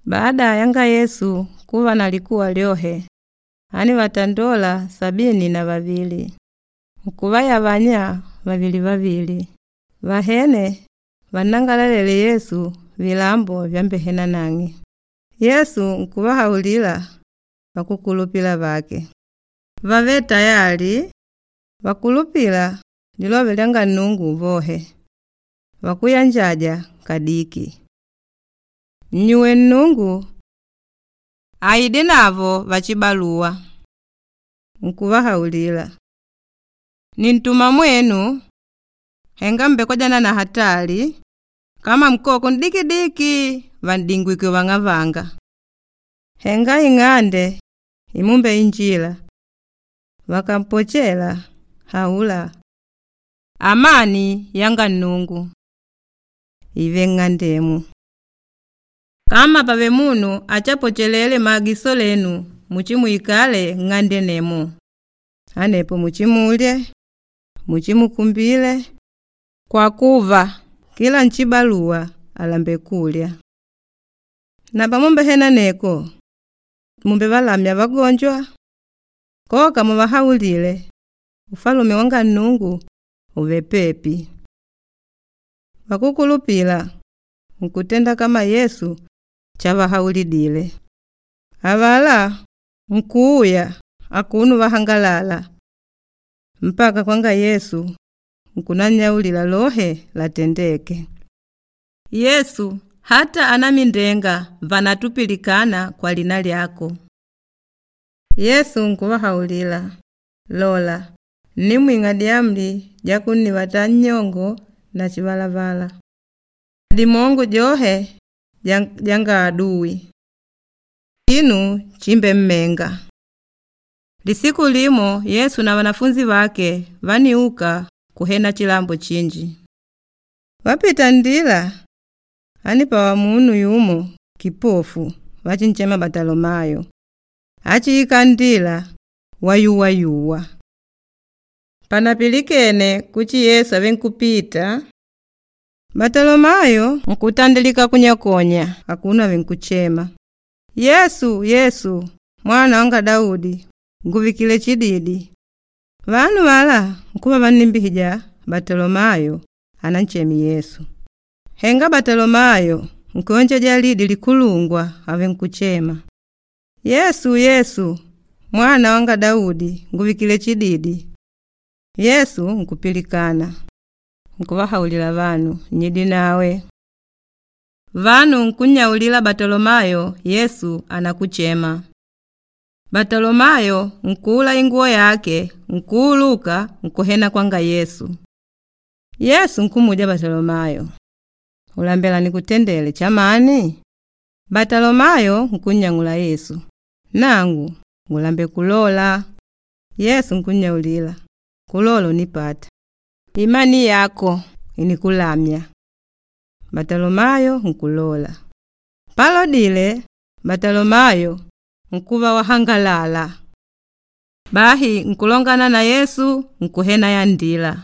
Baada yanga Yesu kuva na likuwa lyohe, ánivatandola 72, nkuvayavanya vavili vavili, vahene vannangalalele Yesu vilambo vyambehena nang'e. Yesu nkuvahaulila vakúkulupila vake vàvele tayali vakulupîla lilove lyanga Nnungu vohe, vakuyanjaja kadiki. Nnyuwe Nnungu aidinavo vachibaluwa. Nkuvahaulila, “Nintuma mwenu henga m̀mbekojana na hatali kama nkoko n'dikidiki vàn'dingwike vang'avanga. Henga ing'ande imumbeinjila, vakampochela haula, ‘Amani yanga Nnungu ìve nng'andemu.’ Kama pàvele munu áchapwechelele maagiso lenu muchimuikale nng'ande nemo. Anepo muchimulye, muchimukumbile kwa kuva kila nchibaluwa àlembela kulya. Na pamumbehena aneko, mumbevalamya vagonjwa. Koka muvahaulile, ‘Ufalume wanga Nnungu ùvele pepi.’ Vakúkulupila nkutenda kama Yesu chavahaulidile. Avalá nkuuya akuno vahangalala mpaka kwanga Yesu nkunannyaulila lohe latendéke. Yesu, hata anamindenga vànatupilikana kwa lina lyako. Yesu nkuvahaulila, “Lola, ǹnimwing'a dyamuli dyakunnivata nnyongo na chivalavala, dimongo dyohe dyanga aduwi, chinu chimbemmenga.” Lisiku limo Yesu na vanafunzi vake vániuka kuhena chilambo chinji. Vapita nndila, ánipwawa munu yumo kipofu vachinchema Batalomayo achiikala nndila wayuwayuwa. Panapilikene kuchi Yesu àvenkupita, Batalomayo nkutandilika kunyakonya akuno avenkuchema, “Yesu, Yesu, Mwana wanga Daudi, nguvikile chididi!” Vanu avalá nkuva vannimbihija Batalomayo anancheme Yesu. Henga Batalomayo nkuyonjeja lidi likulungwa avenkuchema, “Yesu, Yesu, Mwana wanga Daudi, nguvikile chididi!” Yesu nkupilikana, nkuvahaulila vanu, “Nyidinawe.” Vanu nkunnyaulila Batalomayo Yesu ànakuchema. Batalomayo nkuula inguwo yake, nkuuluka nkuhena kwanga Yesu. Yesu nkummuja Batalomayo, “Ulambela nikutendele chamani?” Batalomayo nkunnyang'ula Yesu, “Nangu ngulambela kulola.” Yesu nkunnyaulila, “Kulola unipata. Imani yako ìnikulamya.” Batalomayo nkulola. Palodile, Batalomayo nkuva wahangalala. Bahi nkulongana na Yesu nkuhena ya nndila.